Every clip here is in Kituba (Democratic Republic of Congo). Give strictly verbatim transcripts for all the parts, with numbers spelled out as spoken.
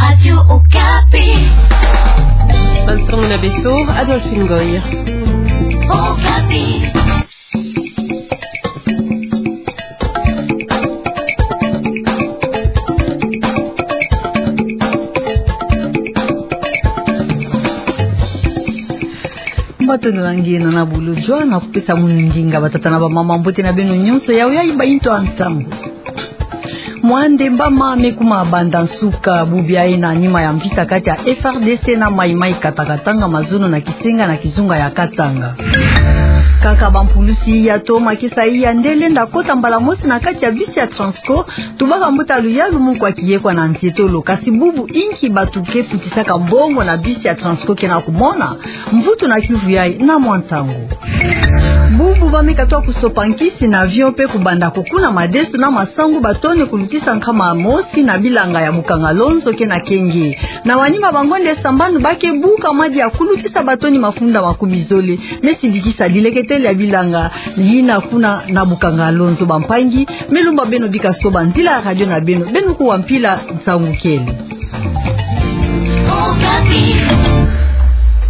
Radio Okapi. Bansango na beto, Adolphine Ngoy. Okapi. Matondo na nge na na bulu jwa na kupesa munu ndinga. Batata na bamama, mbote na beno nyonso. Yayi bainto ya nsangu. Mwande Mbama me kuma banda nsuka bubu yayi na nima ya mvita kati ya F R D C na Mai Mai Katanga-Katanga, mazono na Kisenga na kizunga ya Katanga. Kaka bampulusi iya to makesa iya nde lenda kota mbala mosi na kati ya bisi ya Transco, tubaka mbuta luyalu mu kwa kiyekwa na ntetolo, kasi bubu inki bato ke futisaka mbongo na bisi ya Transco ke na kumona? Mvutu na kiuvu yayi na mwa ntangu. Bubu ba me katoa kusopa nkisi na avion pe kubanda kukuna madesu na masangu ba tone kulutisa nkama mosi na bilanga ya Bukangalonzo ke na Kenge. Na manima ba ngonde sambanu ba ke buka madi ya kulutisa ba toni mafunda makumi zole, me sidikisa dileketele ya bilanga yina kuna na Bukangalonzo. Bampangi, me lumba beno bika soba nzila ya radio na beno, beno kuwa mpila nsangu kele.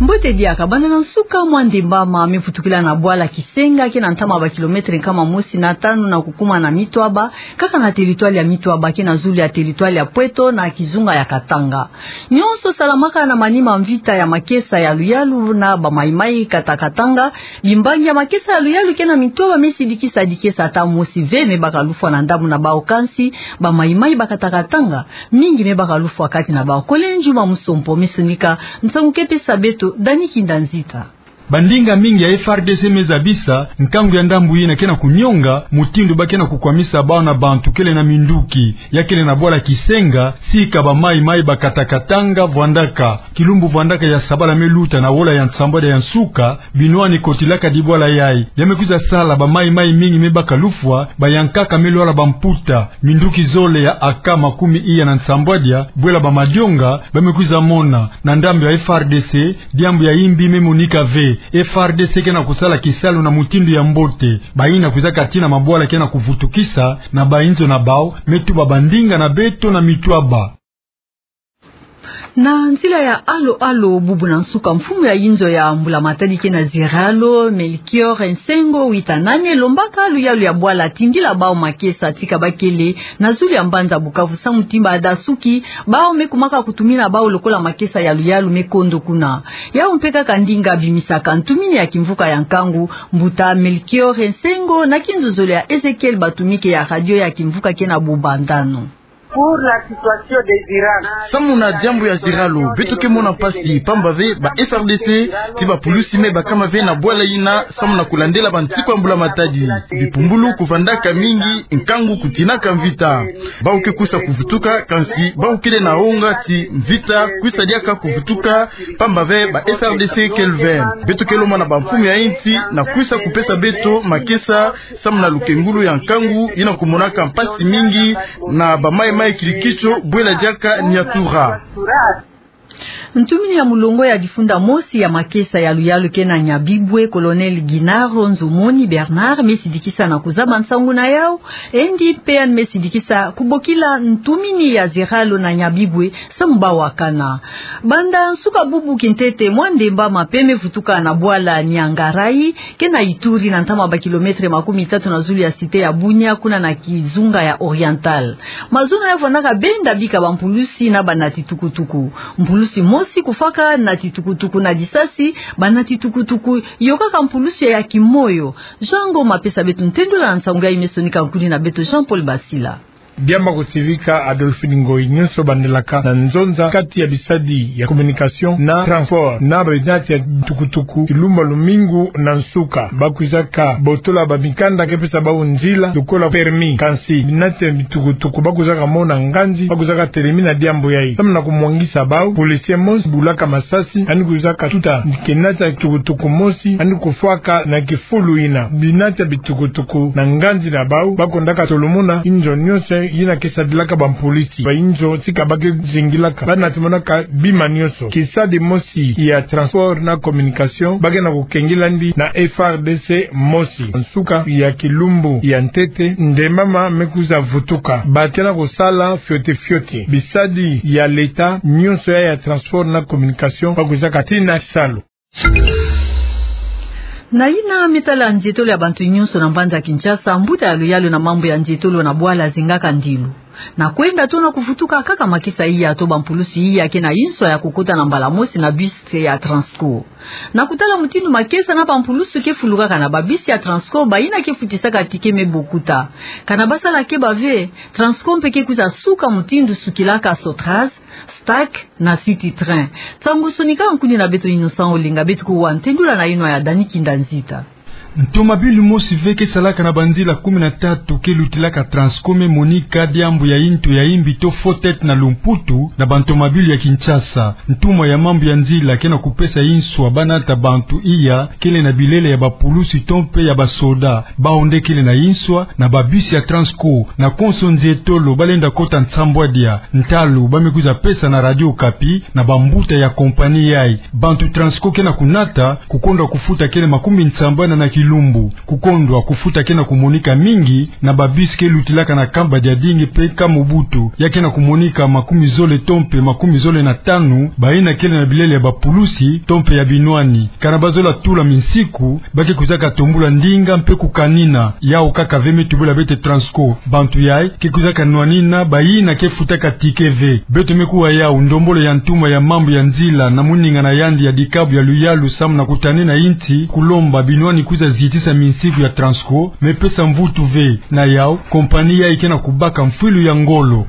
Mbote diaka, banda na nsuka Mwande Mbama me vutukila na bwala Kisenga ke na ntama ba kilometre nkama mosi na tanu na kukuma na Mitwaba, kaka na territoire ya Mitwaba ke na zulu ya territoire ya Pweto na kizunga ya Katanga. Nyonso salamaka na manima mvita ya makesa ya luyalu na ba Mai Mai Katanga-Katanga. Bimbangi ya makesa ya luyalu ke na Mitwaba me sidikisa dikesa ata mosi ve me baka lufwa na ndambu na bawu, kansi ba Mai Mai ba Katanga-Katanga mingi me baka lufwa kati na bawu. Kole Njuma Musompo me sonika nsangu ke pesa beto Dani Kinda Nzita. Bandinga mingi ya F R D C me zabisa nkangu ya ndambu yina ke na kunionga mutindu ba ke na kukwamisa bawu na bantu kele na minduki ya kele na bwala Kisenga, sika ba Mai Mai ba Katanga-Katanga vwandaka. Kilumbu vwandaka ya sabala me luta na wola ya nsambwadia ya nsuka, binwani kotilaka dibwala yayi. Ya me kwiza sala ba Mai Mai mingi me baka lufwa, bayankaka me lwala bamputa. Minduki zole ya A K makumi iya na nsambwadia, bwela ba madionga, ba me kwiza mona, na ndambu ya F R D C, diambu ya imbi me monika ve. F R D C ke na kusala kisalu na mutindu ya mbote. Bayina kwizaka tii na mabwala ke na kuvutukisa na bayinzo na bawu, me tuba bandinga na beto na Mitwaba. Na nzila ya alo-alo, bubu na nsuka mfumu ya yinzo ya Mbula Matadi ke na Ziralo, Melchior Nsengo Witanane, lombaka luyalu ya bwala tindila bawu makesa tika ba kele na zulu ya mbanza Bukavu samu ti ba dasuki bawu me kumaka kutumina bawu lokola makesa ya luyalu me kondo kuna. Yawu mpe kaka ndinga bimisaka ntumini ya kimvuka ya nkangu, mbuta Melchior Nsengo, na kinzonzolo ya Ezekiel Batumike ya radio ya kimvuka ke na Bumba-Ndano. Pour la situation des Iran. Samu na diambu ya Ziralo, beto ke mona mpasi, pamba ve ba F R D C ti bapulusi me bakama ve na bwala yina, samu na kulandela bansiku ya Mbula Matadi. Bipumbulu kuvandaka mingi, nkangu kutinaka mvita. Bawu ke kwisa kuvutuka, kansi bawu kele na wonga ti mvita kwisa diaka kuvutuka, pamba ve ba F R D C kele ve. Beto ke lomba na bamfumu ya insi na kwisa kupesa beto makesa, samu na lukengulu ya nkangu yina kumonaka mpasi mingi na ba Mai Mai Kirikicho, bwela diaka Niatura. Ntumini ya mulongo ya difunda mosi ya makesa ya luyalu ke na Nyabibwe, Colonel Ginaro Nzomoni Bernard, me sidikisa na kuzaba nsangu na yawu, yandi mpe yandi me sidikisa kubokila ntumini ya Ziralo na Nyabibwe, samu ba wakana. Banda nsuka bubu kintete, Mwande Mbama mpe me vutuka na bwala Niangarayi, ke na Ituri, na ntama ba kilometre makumi tatu na zulu ya cité ya Bunia, kuna na kizunga ya Oriental. Mazono ya vwandaka benda bika bampulusi na banati tukutuku. Mpulusi mosi kufwaka nati tukutuku na disasi, banati tukutuku yokaka mpulusi ya kimoyo. Jean Ngoma pesa beto ntendula na nsangu yayi me sonika nkudi na beto Jean Paul Basila. Diambu ya kutivika Adolphine Ngoyi, nyonso bandelaka na nzonza kati ya bisadi ya communication na transport na binati ya tukutuku. Kilumba lumingu na nsuka, ba kwizaka botola bamikanda ke pesa bawu nzila lokola permis. Kansi binati ya bitukutuku ba kwizaka mona nganzi, ba kwizaka telemi na diambu yayi. Samu na kumwangisa bawu, policier mosi bulaka masasi, yandi kwizaka tuta kinati ya tukutuku mosi, yandi kufwaka na kifulu yina. Binati ya bitukutuku na nganzi na bawu, ba kwendaka tolomona inzo nyonso yina ke sadilaka bampolis. Bayinzo tika ba ke zingilaka, ba nata monaka bima nyonso. Kisadi mosi ya transport na communication ba ke na kukengila yandi na F R D C mosi. Nsuka ya kilumbu ya ntete, nde mama me kwiza vutuka. Ba ke na kusala fioti fioti. Bisadi ya leta nyonso ya, ya transport na communication ba kwizaka tii na kisalu. Na yina me tala nzietolo ya bantu nyonso na mbanza Kinshasa, mbuta ya luyalu na mambu ya nzietolo na bwala zingaka ndilu. Na kwenda to na kuvutuka kaka makesa iya to bampulusu iya ke na inswa ya kukota na mbala mosi na bus ya Transco. Na kutala mutindu makesa na bampulusu ke fulukaka na babus ya Transco, bayina ke futisaka ticket me bokuta. Kana ba sala keba ve, Transco mpe ke kwiza suka mutindu sukilaka Sotraz, Stack na City Train. Nsangu sonika nkundi na beto Innocent Olenga, beto kuwa ntendula na yinwa ya Dani Kinda Nzita. Ntomabilu mosi ve ke salaka na banzila kumi na tatu ke lutilaka Transco me monika diambu ya yintu ya yimbi to faux tête na lumputu na bantomabilu ya Kinshasa. Ntumwa ya mambu ya nzila ke na kupesa inswa ba nata bantu iya kele na bilele ya bapulusu to mpe ya basoda. Bawu nde kele na inswa na babus ya Transco. Na konso nzietolo ba lenda kota nsambwadia. Ntalu ba me kwiza pesa na Radio Okapi na bambuta ya compagnie yayi. Bantu Transco ke na kunata, kukondwa kufuta kele makumi nsambanu na kilumbu. Kukondwa kufuta ke na kumonika mingi na babus ke lutilaka na kamba dia dingi mpe Camp Mobutu. Ya ke na kumonika makumi zole to mpe makumi zole na tanu, bayina kele na bilele ya bapulusu to mpe ya binwani. Kana ba zola tula minsiku, ba ke kwizaka tombula ndinga mpe kukanina. Yawu kaka ve me tubula beto Transco. Bantu yayi ke kwizaka nwanina bayina ke futaka ticket ve. Beto me kuwa yawu ndombolo ya ntumwa ya mambu ya nzila na muninga na yandi ya dikabu ya luyalu samu na kutanina insi, kulomba binwani kwiza zitisa minsiku ya Transco, me pesa mvutu ve. Na yawu, compagnie yayi ke na kubaka mfwilu ya ngolo.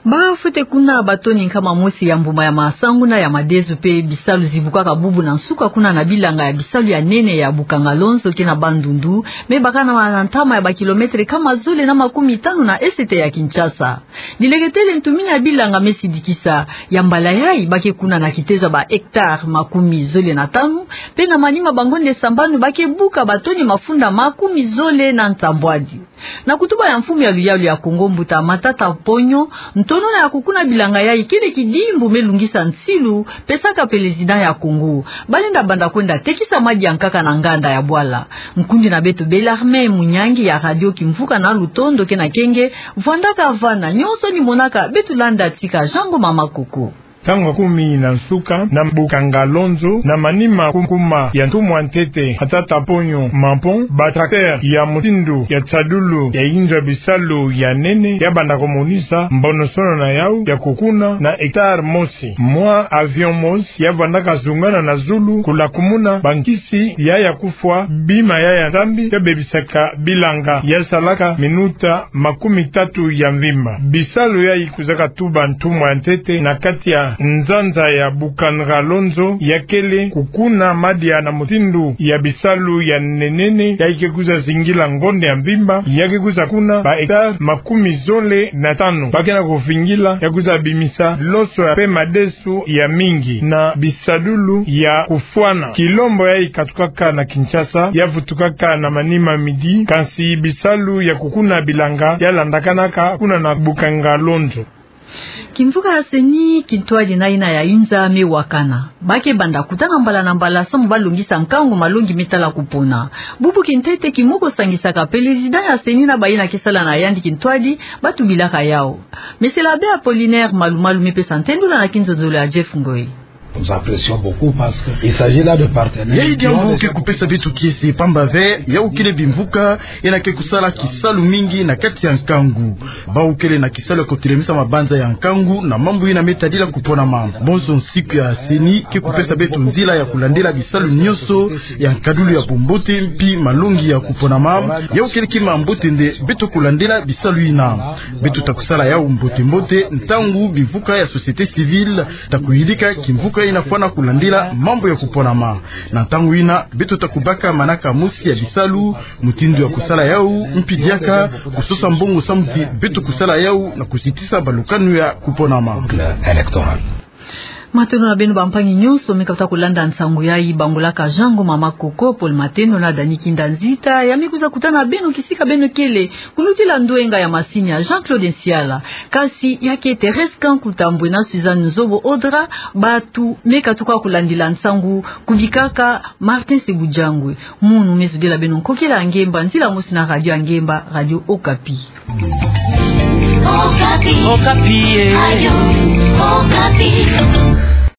Ba fwete kuna batoni nkama mosi ya mbuma ya masangu na ya madesu mpe bisalu zibukaka bubu na nsuka kuna na bilanga ya bisalu ya nene ya Bukangalonzo ke na Bandundu, me bakana na ntama ya bakilometre nkama zole na makumi tanu na esete ya Kinshasa. Dileketele ntumini ya bilanga me sidikisa, ya mbala yayi ba ke kuna na kitezo ya ba hectare makumi zole na tanu, mpe na manima bangonde sambanu ba ke buka batoni mafunda makumi zole na nsambwadi. Na kutuba ya mfumu ya luyalu ya Kongo, mbuta Matata Ponyo, ntonona ya kukuna bilanga yayi kele kidimbu me lungisa nsilu pesaka président ya Kongo. Ba lenda banda kwenda tekisa madi ya nkaka na nganda ya bwala. Nkundi na beto Bellarmé Munyangi ya Radio Kimvuka na Lutondo ke na kenge, vwandaka vana, nyonso ni monaka, beto landa tika Jean Ngoma Makoko. Ntangu ya kumi na nsuka, na Bukangalonzo, na manima kukuma ya ntumwa ntete Matata Ponyo Mampon, ba tracteur ya mutindu ya tsadulu ya inzo ya bisalu ya nene, ya banda kumonisa mbonosono na yawu ya kukuna na hectare mosi. Mwa avion mosi ya vandaka zungana na zulu kula kumuna bankisi ya ya kufwa bima ya ya nzambi ya bebisaka bilanga, ya salaka minuta makumi tatu ya mvimba. Bisalu yayi kwizaka tuba ntumwa ntete na kati ya nzanza ya Bukangalonzo, ya kele kukuna madi ya na mutindu ya bisalu ya nene nene, yayi ke kwiza zingila ngonde ya mvimba, ya ke kwiza kuna ba hectare makumi zole na tanu. Ba ke na kuvingila ya kwiza bimisa loso ya mpe madesu ya mingi na bisadulu ya kufwana. Kilombo yayi katukaka na Kinshasa, ya vutukaka na manima midi, kansi bisalu ya kukuna bilanga ya landakanaka kuna na Bukangalonzo. Kimvuka ya CENI, kintwadi na yina ya inza me wakana. Ba ke banda kutana mbala na mbala samu ba longisa nkangu malongi me tala kupona. Bubu kintete ki moko sangisaka président ya CENI na bayina ke sala na yandi kintwadi, ba tubilaka yawu. Monsieur l'abbé Apollinaire Malumalu me pesa ntendula na kinzonzolo ya Jeff Ngoy. Nous apprécions beaucoup parce que il s'agit là de partenaires. Yayi diambu ke kupesa beto kiese, pamba ve yawu kele bimvuka yina ke kusala kisalu mingi na kati ya nkangu. Bawu kele na kisalu ya kutelemisa mabanza ya nkangu na mambu yina me tadila kuponama. Bonso nsiku ya CENI ke kupesa beto nzila ya kulandila bisalu nyonso ya nkadulu ya bumbote mpi malongi ya kuponama. Yawu kele kima mbote nde beto kulandila bisalu yina. Beto ta kusala yawu mbote mbote ntangu bimvuka ya société civile ta kuyidika kimvuka yina fwana kulandila mambu ya kuponama. Na ntangu yina, beto ta kubaka manaka mosi ya bisalu, mutindu ya kusala yawu, mpi diaka kusosa mbongo samu ti beto kusala yawu na kuzitisa balukanu ya kuponama. Électoral. Matondo na beno bampangi nyonso me katuka kulanda nsangu yayi. Bangolaka Jean Ngoma Makoko, Paul Matendo na Dani Kinda Nzita ya me kwiza kutana na beno kisika beno kele, kulutila ndwenga ya masini ya Jean-Claude Nsiala. Kasi ya ke Thérèse Kanku Tambwe na Suzanne Nzobo Odra, bantu me katuka kulandila nsangu kubikaka Martin Sebujangwe. Munu me zodila beno nkokila ya ngemba, nzila mosi na radio ya ngemba, Radio Okapi. Okapi. Okapi, eh. Radio